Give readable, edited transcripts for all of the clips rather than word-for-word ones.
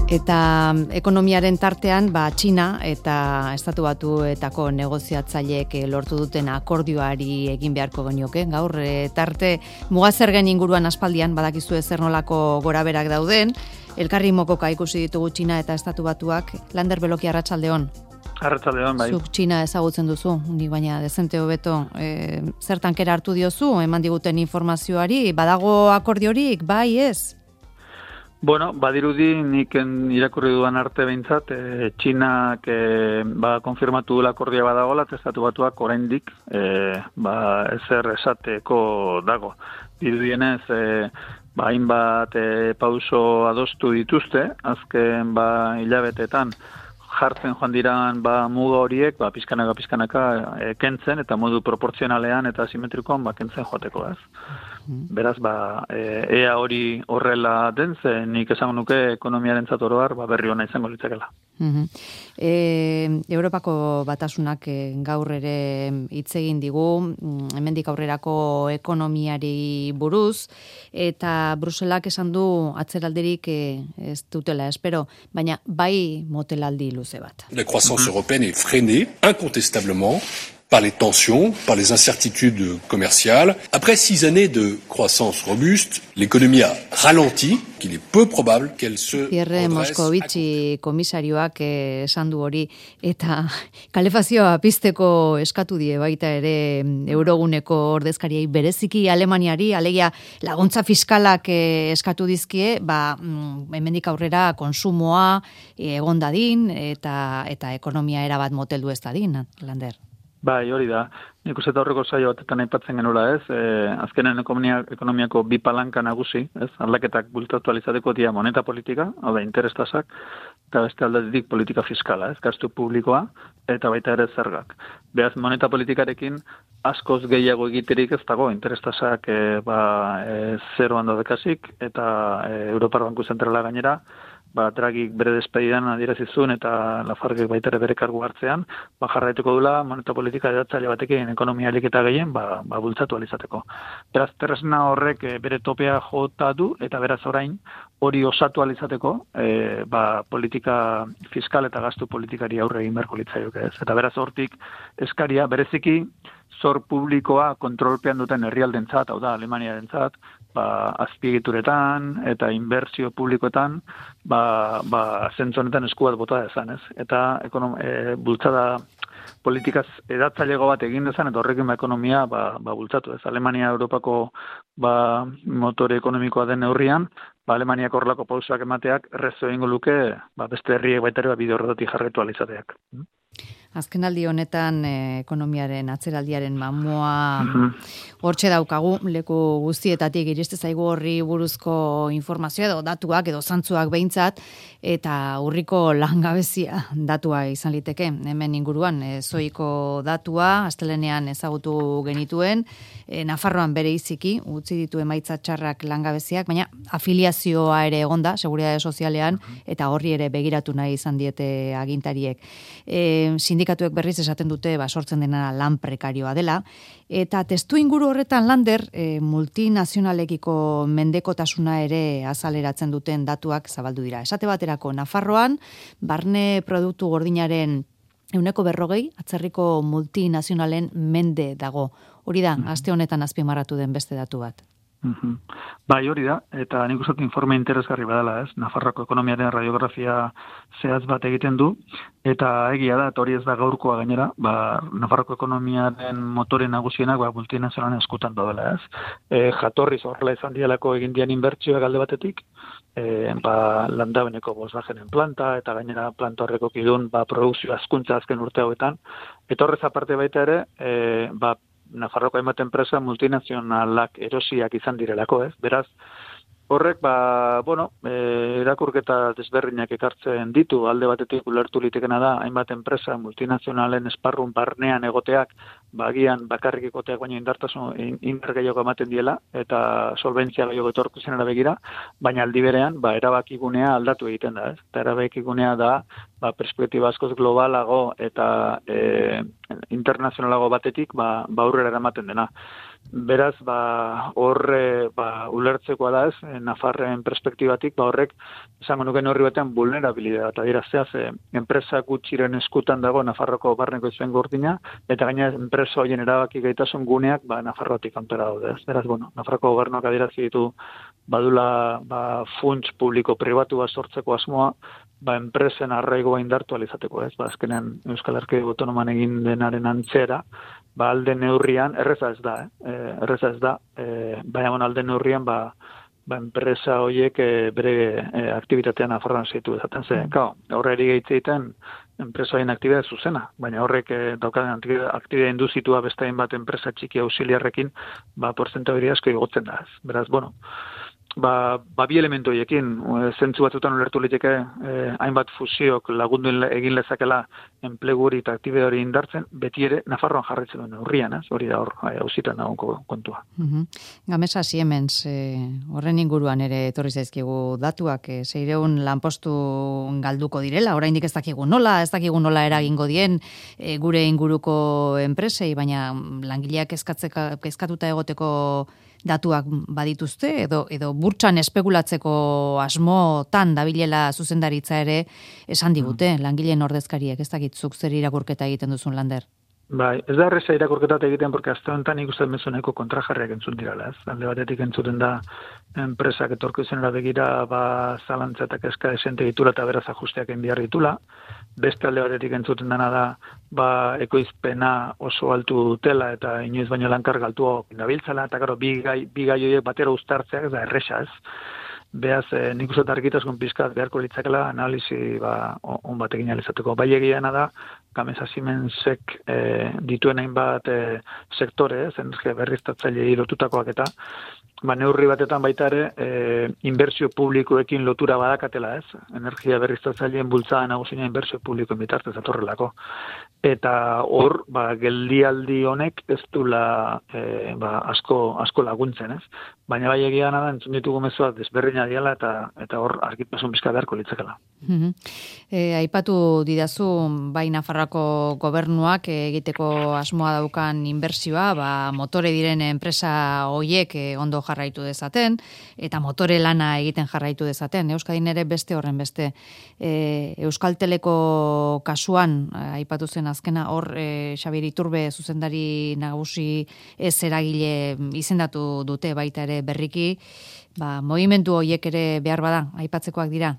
Eta ekonomiaren tartean, Txina eta Estatu Batuetako negoziatzaileek lortu duten akordioari egin beharko genioke. Gaur, tarte mugazergen inguruan aspaldian, badakizu zer nolako goraberak dauden, elkarri mokoka ikusi ditugu Txina eta Estatu Batuak. Lander Beloki, arratsaldeon. Arratsaldeon, bai. Zuk Txina ezagutzen duzu, ni baina dezente hobeto. Zertan kera hartu diozu, eman diguten informazioari, badago akordiorik, bai ez? Bueno, badirudi nik irakurri dudan arte behintzat, Txinak konfirmatu dula akordioa badagoela, Estatu Batuak oraindik ezer esateko dago. Dirudienez, hainbat pauso adostu dituzte, azken hilabetetan jartzen joan diran muga horiek, pizkanaka kentzen, eta modu proportzionalean eta simetrikoan kentzen joateko, ez? Beraz, ea hori horrela den, ze nik esango nuke ekonomiaren zatoroar berri ona izango litzakela. Europako Batasunak gaur ere hitz egin digu, hemendik aurrerako ekonomiari buruz, eta Bruselak esan du atzeraldirik ez dutela espero, baina bai motelaldi luze bat. La croissance européenne est freinée, incontestablement, par les tensions, par les incertitudes commerciales. Après 6 années de croissance robuste, l'économie a ralenti, qu'il est peu probable qu'elle se Pierre Moscovici komisarioak esan du hori, eta kalefazioa pizteko eskatu die baita ere euroguneko ordezkariei bereziki Alemaniari, alegia laguntza fiskalak eskatu dizkie, hemendik aurrera konsumoa egon dadin eta ekonomia erabat moteldu ez dadin, Lander. Bai, hori da. Nik uste aurreko saio batetan aipatzen genuela, ez? Azkenen ekonomiako bi palanka nagusi, ez? Aldaketak bultatu alizateko dia moneta politika, hau da, interestasak, eta beste aldetik politika fiskala, ez? Gastu publikoa, eta baita ere zergak. Beraz, moneta politikarekin askoz gehiago egiterik ez dago, interestasak zeroan daudekasik, eta Europar Banku Zentrala gainera, Dragik bere despedidan adierazizun eta Lafargek baita ere bere kargu hartzean, jarraituko dula moneta politika edatzaile batekin ekonomia aliketa gehien, bultzatu alizateko. Beraz, tresna horrek bere topea jota du, eta beraz orain hori osatu alizateko, politika fiskal eta gastu politikari aurre egin beharko litzaioke, ez? Eta beraz hortik eskaria bereziki zor publikoa kontrolpean duten herrialdentzat, hau da, Alemaniarentzat, azpiegituretan eta inbertsio publikoetan, zentzu honetan esku bat bota dezan, ez? Eta bultzada politikaz edatzailego bat egin dezan, eta horrekin ekonomia bultzatu, ez? Alemania Europako motore ekonomikoa den neurrian, Alemaniak horrelako pausoak emateak errezo egingo luke, beste herriek baita ere bide horretatik jarraitu alizateak. Azkenaldi honetan ekonomiaren atzeraldiaren mamua hortxe daukagu, leku guztietatik iriste zaigu horri buruzko informazioa edo datuak edo zantzuak behintzat, eta urriko langabezia datua izan liteke. Hemen inguruan zoiko datua, astelenean ezagutu genituen, Nafarroan bere iziki, utzi ditu emaitza txarrak langabeziak, baina afiliazioa ere egonda, Seguritate Sozialean, eta horri ere begiratu nahi izan diete agintariek. Sindikatuek berriz esaten dute sortzen dena lan prekarioa dela, eta testu inguru horretan Lander multinazionalekiko mendekotasuna ere azaleratzen duten datuak zabaldu dira. Esate baterako Nafarroan, barne produktu gordinaren 40%, atzerriko multinazionalen mende dago. Hori da, aste honetan azpimarratu den beste datu bat. Bai, hori da, eta nik uste informe interesgarri badala, ez? Nafarroako ekonomiaren radiografia zehaz bat egiten du, eta egia da, eta hori ez da gaurkoa gainera, Nafarroako ekonomiaren motore nagusienak multinazionalen eskutan daudela, ez? Jatorriz horrela izan dialako egin dian inbertsioak alde batetik, Landabeneko Volkswagenen planta, eta gainera planta horreko kidun produkzio azkuntza azken urte hauetan, eta horrez aparte baita ere, Nafarroko hainbat enpresa multinazionalak erosiak izan direlako, ez? Beraz, horrek, irakurketa desberdinak ekartzen ditu, alde batetik ulertu litekena da, hainbat enpresa multinazionalen esparrun barnean egoteak, agian bakarrik egoteak baina indar gehiago ematen diela, eta solventzia gehiago etorkizenera begira, baina aldi berean, erabakigunea aldatu egiten da, ez? Eta erabakigunea da, perspektiba askoz globalago eta internazionalago batetik aurrera eramaten dena. Beraz, horre ulertzekoa da ez, Nafarren perspektibatik, horrek, esango nuken horri batean, vulnerabilidad, eta dira zeaz, enpresa gutxiren eskutan dago Nafarroko barneko izuen gordina, eta gaina enpresa horien erabaki gaitasun guneak, Nafarrotik kanpera daude ez. Beraz, Nafarroko gobernuak adierazi ditu, badula, funts publiko-pribatu bat sortzeko asmoa, enpresen arraigoa indartu alizateko ez, azkenean Euskal Erkidego Autonoman egin denaren antzera, alde neurrian, erreza ez da, baina alde neurrian, enpresa horiek bere aktibitatean Nafarroan zeitu ezaten ze. Horre eri gehitzeiten, enpresa horien aktibitatea zuzena, baina horrek daukaden aktibitatea induzitua bestain bat enpresa txiki auxiliarrekin, porzentabili asko igotzen da ez. Beraz, bi elementu horiekin, zentzu batzutan ulertu liteke, hainbat fusiok lagundu egin lezakela enpleguri eta aktibide hori indartzen, beti ere Nafarroan jarraitzen duen urrian, hori da hor, hausitan dagoenko kontua. Gamesa Siemens, horren inguruan ere etorri zaizkigu datuak, 600 lanpostu galduko direla, oraindik ez dakigu nola eragingo dien gure inguruko enpresei, baina langileak kezkatuta egoteko datuak badituzte, edo burtsan espekulatzeko asmotan dabilela zuzendaritza ere esan digute, langileen ordezkariek, ez dakitzuk zer irakurketa egiten duzun, Lander? Ez da erreza irakurketat egiten, porque azte honetan ikusten mezuneko kontrajarriak entzun dirala, ez? Alde batetik entzuten da enpresak etorkizenera begira, zalantza eta kezka desente ditula eta beraz ajusteak egin behar ditula. Beste alde batetik entzuten dena da, ekoizpena oso altu dutela eta inoiz baino lankar galtua dabiltzala, eta gero bi gai horiek batera uztartzeak ez da erresa ez. Beaz, nik uste argitasun pizkat beharko litzakela analizi on batekin alizateko. Bai egiana da, Gamesa Siemensek dituen hainbat sektore, energia berriztatzaile lotutakoak eta, neurri batetan baita ere, inbertsio publikoekin lotura badakatela ez, energia berriztatzaileen bultzada nagusina inbertsio publikoen bitartez atorrelako. Eta hor, geldialdi honek ez dula asko laguntzen ez. Baina bai egiana da, entzun ditugu mezuak desberdina diala eta hor argitasun pizka beharko litzakela. Aipatu didazu, bai Nafarroako gobernuak egiteko asmoa daukan inbertsioa, motore diren enpresa hoiek ondo jarraitu dezaten, eta motore lana egiten jarraitu dezaten. Euskadin ere beste horren beste. Euskalteleko kasuan, aipatu zen azkena, hor Xabier Iturbe zuzendari nagusi ez eragile izendatu dute baita ere berriki, movimentu horiek ere behar bada, aipatzekoak dira?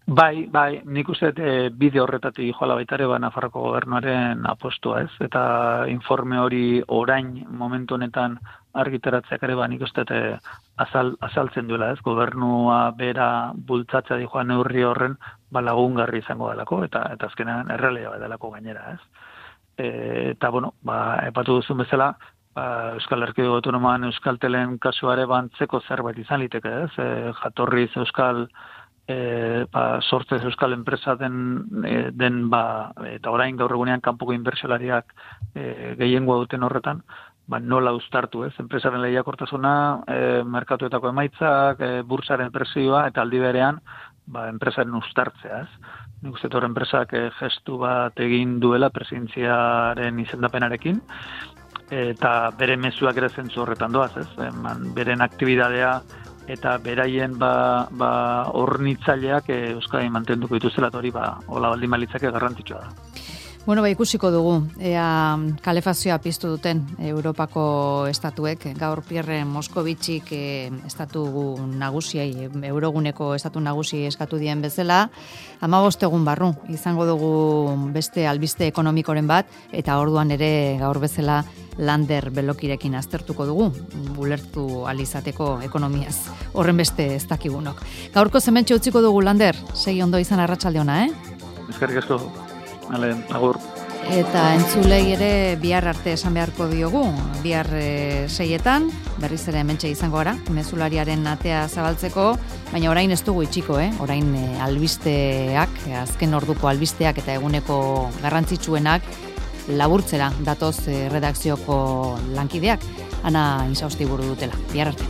Bai, nik uste bide horretatik joala baita ere Nafarroko gobernuaren apostua ez, eta informe hori orain momentu honetan argitaratzeak ere nik uste azaltzen duela ez, gobernua bera bultzatzea dijoa neurri horren lagungarri izango delako, eta azkenean errealea delako gainera ez. Eta epatu duzun bezala, Euskal Erkidego Autonoman Euskaltelen kasuare bantzeko zerbait izan liteke ez, jatorriz Euskal sortzez Euskal enpresa den eta orain gaur egunean kanpoko inbertsolariak gehiengoa duten horretan, nola uztartu ez, enpresaren lehiakortasuna, merkatuetako emaitzak, bursaren presioa eta aldi berean enpresaren uztartzea ez. Nik uste hor enpresak gestu bat egin duela presidentziaren izendapenarekin, eta bere mezuak ere zentzu horretan doaz ez, beren aktibidadea eta beraien hornitzaileak Euskadi mantenduko dituzela, hori hola baldin balitzake garrantzitsua da. Ikusiko dugu, ea kalefazioa piztu duten Europako estatuek, gaur Pierre Moskovitxik estatu nagusiai, Euroguneko estatu nagusi eskatu dien bezala, 15 egun barru, izango dugu beste albiste ekonomikoren bat, eta orduan ere gaur bezala Lander Belokirekin aztertuko dugu, ulertu alizateko ekonomiaz, horren beste ez dakigunok. Gaurko zementxe utziko dugu, Lander, segi ondo izan arratsalde ona, Eskerrik asko. Agur. Eta entzulei ere bihar arte esan beharko diogu, bihar 6etan, berriz ere hementxe izango gara, mezulariaren atea zabaltzeko, baina orain ez dugu itxiko, orain albisteak, azken orduko albisteak eta eguneko garrantzitsuenak laburtzera datoz redakzioko lankideak, Ana Insaustiburu dutela. Bihar arte.